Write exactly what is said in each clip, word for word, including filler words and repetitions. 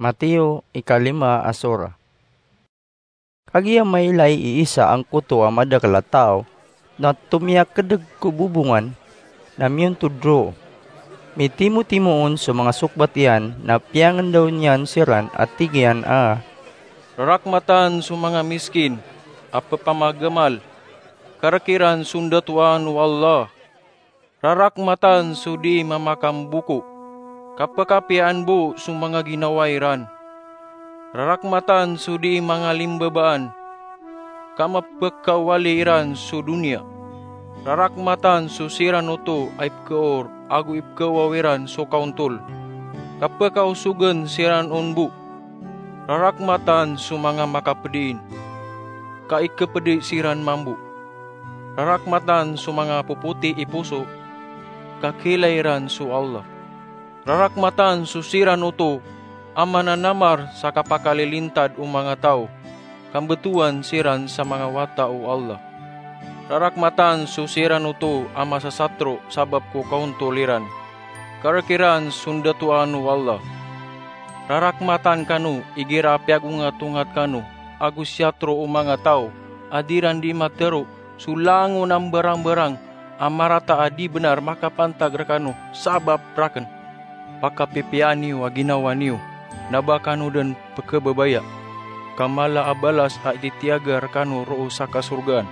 Mateo ikalima a sura. Kagiya mailay i isa angkoto a madakel a taw na tomiyakedeg ko bobongan na miyontod roo. Mitimotimo on so manga sokbat iyan na piyangendaw niyan siran a tig iyan a, "Rarakmatan so manga miskin a pepamagamal, karek iran so ndatoan o Allah. Rarakmatan so dii mamakamboko, ka pekapiyaan bo so manga ginawa iran. Rarakmatan so dii mangalimbabaan, ka mapekawali iran so doniya. Rarakmatan so siran oto a ipekaor ago ipekawaw iran so kaontol, ka pekaosogen siran on bo. Rarakmatan so manga makapediin, ka ikepedi siran mambo. Rarakmatan so manga popoti i poso, ka kiilay iran so Allah. Rarakmatan so siran oto a mananamar sa kapakalilintad o manga taw, ka mbetowan siran sa manga wata o Allah. Rarakmatan so siran oto a masasatro sabap ko kaontol iran, karek iran so ndatoan o Allah. Rarakmatan kano igira piyagongatongat kano ago siyatro o manga taw a di iran dii matero so langon a mbarangbarang a marata a di benar makapantag rekano sabap raken. Pakapipiya niyo a ginawa niyo, na ba kano den pekebebaya, ka mala a balas a ititiyaga rekano roo sa kasorgaan.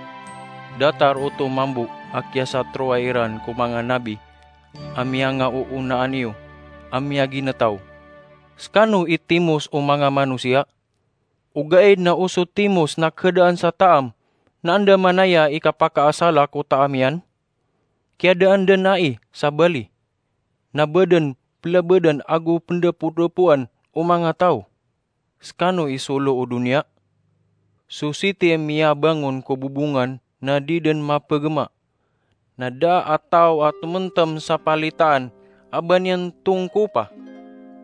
Datar oto mambo a kiyasatroa iran ko manga nabi a miyangaoonaan iyo a miyaginetaw. Sekano i timos o manga manosiya. Ogaid na o so timos na kehedaan sa taam na andamanaya i kapakaasala ko taam iyan? Kiyadaan den ai sa bali, na ba den pelebeden ago pendepodepoan o manga taw. Sekano i solo o doniya. So siti a miyabangon ko bobongan na di den mapegema. Na da a taw a tementem sa palitaan a ba niyan tongkopa,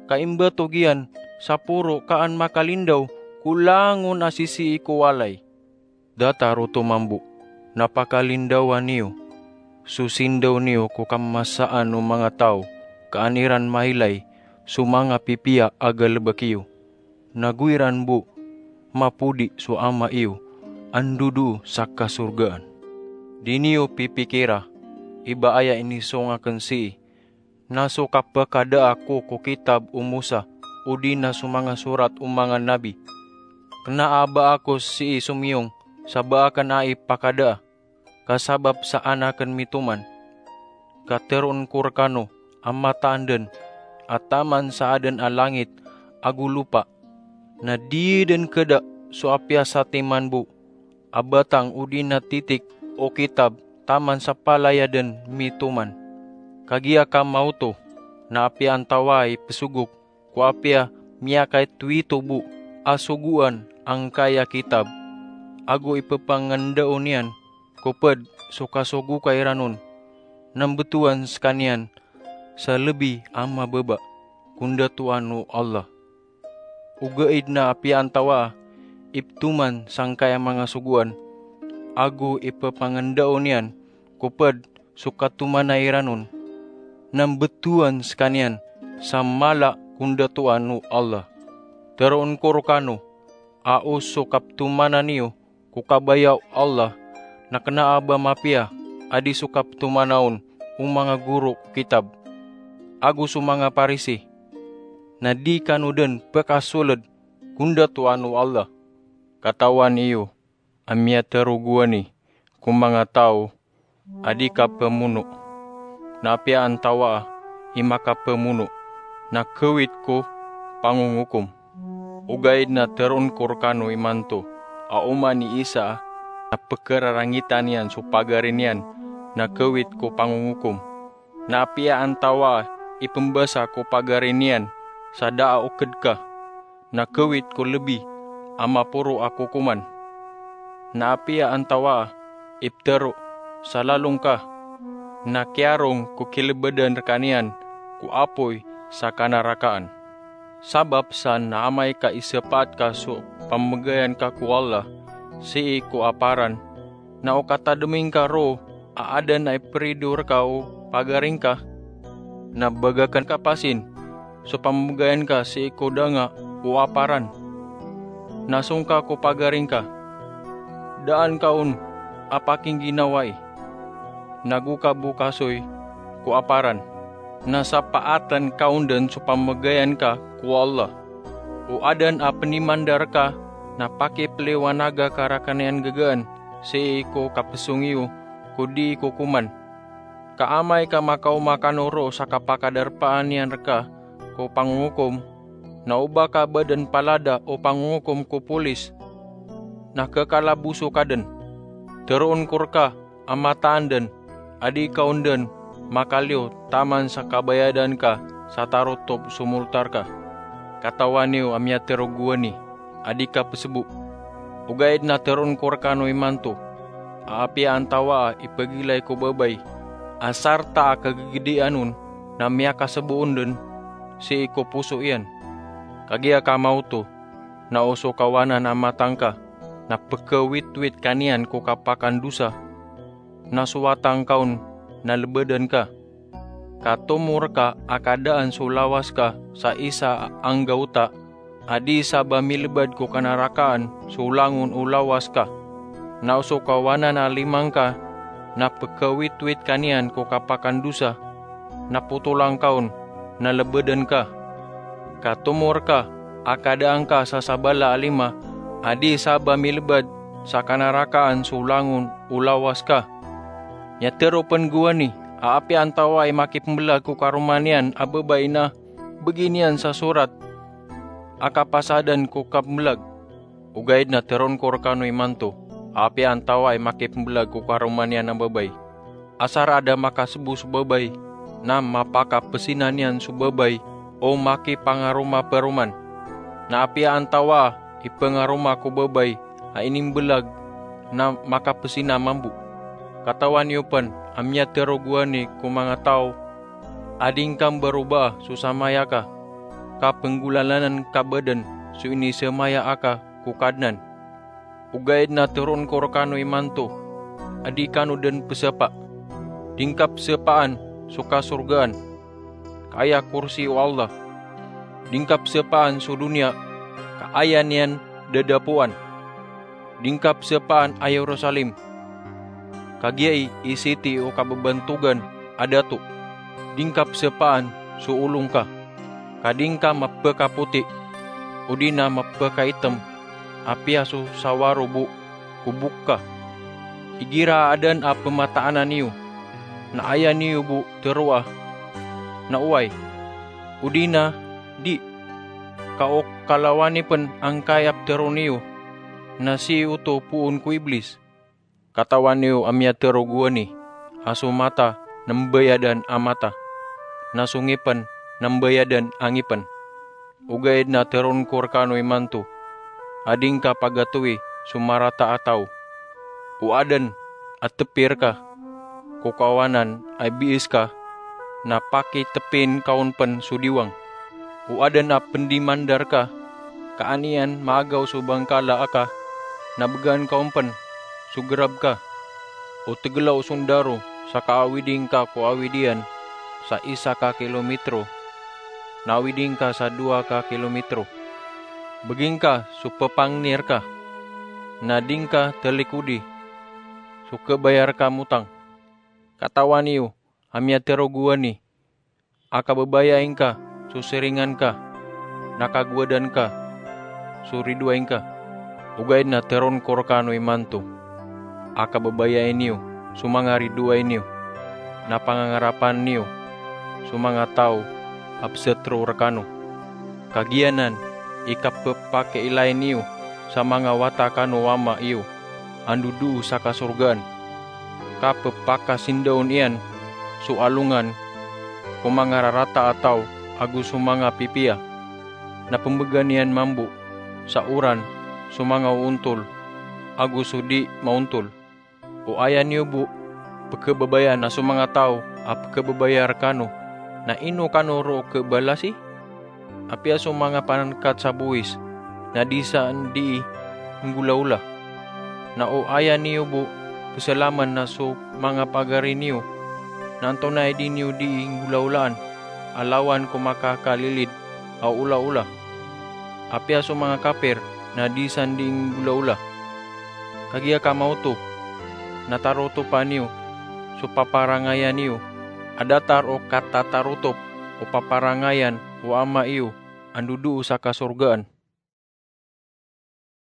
ka imbatog iyan sa poro ka an makalindaw ko langon a sisii ko walay. Datar oto mambo, na pakalindawa niyo so sindaw niyo ko kamasaan o manga taw, ka an iran mailay so manga pipiya a galebek iyo. Na go iran bo mapodi so Ama iyo a ndodoo sa kasorgaan. Di niyo pipikira i ba aya inisong aken sii, na so kapekadaa ko ko kitab o Mosa, odi na so manga sorat o manga nabi. Kena a ba ako sii somiyong sa ba aken ai pakadaa, ka sabap sa an aken mitoman. Ka teroon ko rekano a mataan den a taman sa aden a langit ago lopa, na di den keda so apiya satiman bo a batang odi na titik o kitab taman sa palaya den mitoman. Kagiya ka maoto na apiya antawaa i pesogok ko apiya miyakaitowito bo a sogoan angkaya kitab, ago ipepangandao niyan ko ped so kasogoka iran on, na mbetowan sekaniyan sa lebi a mababa ko ndatoan o Allah. Ogaid na apiya antawaa i petoman sangkaya manga sogoan, ago ipepangandao niyan ko ped so katomana iran on, na mbetowan sekaniyan sa mala ko ndatoan o Allah. Teroon ko rekano a o so kapetomanan iyo ko kabaya o Allah na kena a ba mapiya a di so kapetomana on o manga goro ko kitab ago so manga Parisi, na di kano den pekasoled ko ndatoan o Allah. Katawan iyo a miyatero gowani ko manga taw a di kapemono, na apiya antawaa i makapemono na kawit ko pangongokom. Ogaid na teroon ko rekano imanto a oman i isa a pekerarangitan iyan so pagari niyan na kawit ko pangongokom. Na apiya antawaa i pembasa ko pagari niyan sa da a oked ka, na kawit ko lebi a maporo a kokoman. Na apiya antawaa i petero sa lalong ka, na kiyarong ko kilebedan rekaniyan ko apoy sa kanarakaan. Sabap sa na amay ka isepaat ka so pamegayan ka ko Allah sii ko aparan, na o katademing ka roo a aden a iperido reka o pagaring ka, na bagaken ka pasin so pamegayan ka sii ko danga o aparan, na songka ko pagari ngka. Daan ka on a pakingginawai, nago ka bo kasoy ko aparan, na sapaatan ka on den so pamegayan ka ko Allah. O aden a penimandar ka na pakipeliwanaga ka raken iyan gegaan sii ko kapesong iyo ko dii kokoman. Ka amay ka makaoma kano roo sa kapakadarpaan iyan reka ko pangongokom, na oba ka ba den palada o pangongokom ko polis, na kekalaboso ka den. Teroon ko reka a mataan den a di ka on den makaliyo taman sa kabayadan ka sa tarotop so moltar ka. Katawan iyo a miyatero gowani a di ka pesebo. Ogaid na teroon ko rekano imanto a apiya antawaa i pegilay ko babay a sarta a kagegedian on na miyakasebo on den sii ko poso iyan. Kagiya ka maoto na o so kawanan a mata ngka na pekawitwit ka niyan ko kapakandosa, na so wata ngka on na lebeden ka. Ka tomo reka a kadaan so lawas ka sa isa a anggawta a di sa ba milebad ko kanarakaan so langon o lawas ka. Na o so kawanan a lima ngka na pekawitwit ka niyan ko kapakandosa, na potolan ka on na lebeden ka. Ka tomo reka a kadaan ka sa sabala a lima a di sa ba milebad sa kanarakaan so langon o lawas ka. Miyatero pen gowani a apiya antawaa i makipembelag ko karoma niyan a babay na beginiyan sa sorat a kapasadan ko kapembelag. Ogaid na teroon ko rekano imanto a apiya antawaa i makipembelag ko karoma niyan a babay, asar a da makasebo so babay, na mapakapesina niyan so babay o makipangaroma peroman. Na apiya antawaa i pengaroma ko babay a inimbelag na makapesina mambo. Katawan iyo pen a miyatero gowani ko manga taw a di ngka mbarobaa so samaya ka, ka penggolalanan ka ba den so inisamaya aka ko Kadnan. Ogaid na teroon ko rekano imanto a di kano den pesapa. Di ngka pesapaan so kasorgaan, ka aya korsi o Allah. Di ngka pesapaan so doniya, ka aya niyan dadapoan. Di ngka pesapaan a Yerusalem, ka giyai i siti o kababantogan a dato. Di ngka pesapaan so olo ngka, ka di ngka mapekapoti odi na mapekaitem, apiya so sawaro bo ko bok ka. Igira a aden a pemataanan iyo, na aya niyo bo teroa na oway, odi na di, ka o kalawani pen angkai a petero niyo na sii oto poon ko Iblis. Katawan iyo a miyatero gowani a so mata na mbayadan a mata, na so ngipen na mbayadan a ngipen. Ogaid na teroon ko rekano imanto a di ngka pagatowi so marata a taw. O aden a tepi reka ko kawanan a biis ka, na pakitepin ka on pen so diwang. O aden a pendimandar ka, ka an iyan maagaw so bangkala aka, na began ka on pen so gerab ka. O tegela o sondaro sa kaawidi ngka ko awid iyan sa isa ka kilometro, na awidi ngka sa dowa ka kilometro. Begi ngka so pepangni reka, na di ngka telikodi so kebaya reka motang. Katawan iyo a miyatero gowani a kababayai ngka so siringan ka, na kagowadan ka so ridoay ngka. Ogaid na teroon ko rekano imanto a kababayai niyo so manga ridoay niyo, na pangangarapan niyo so manga taw a pesetero rekano. Kagiya nan i kapepakiilay niyo sa manga wata kano o ama iyo a ndodoo sa kasorgaan, ka pepakasindaon iyan so alongan ko manga rarata a taw ago so manga pipiya, na pembegan iyan mambo sa oran so manga oontol ago so di maontol. O aya niyo bo pekebabaya na so manga taw a pekebabaya rekano, na ino kano roo kebalasi? Apiya so manga panangkat sa bowis na di san dii nggolaola. Na o aya niyo bo peselamen na so manga pagari niyo, na antonaa i di niyo dii nggolaolaan a lawan ko makakalilid a olaola? Apiya so manga kapir na di san dii nggolaola. Kagiya ka maoto, na tarotopa niyo so paparangayan iyo a datar o katatarotop o paparangayan o Ama iyo a ndodoo sa kasorgaan.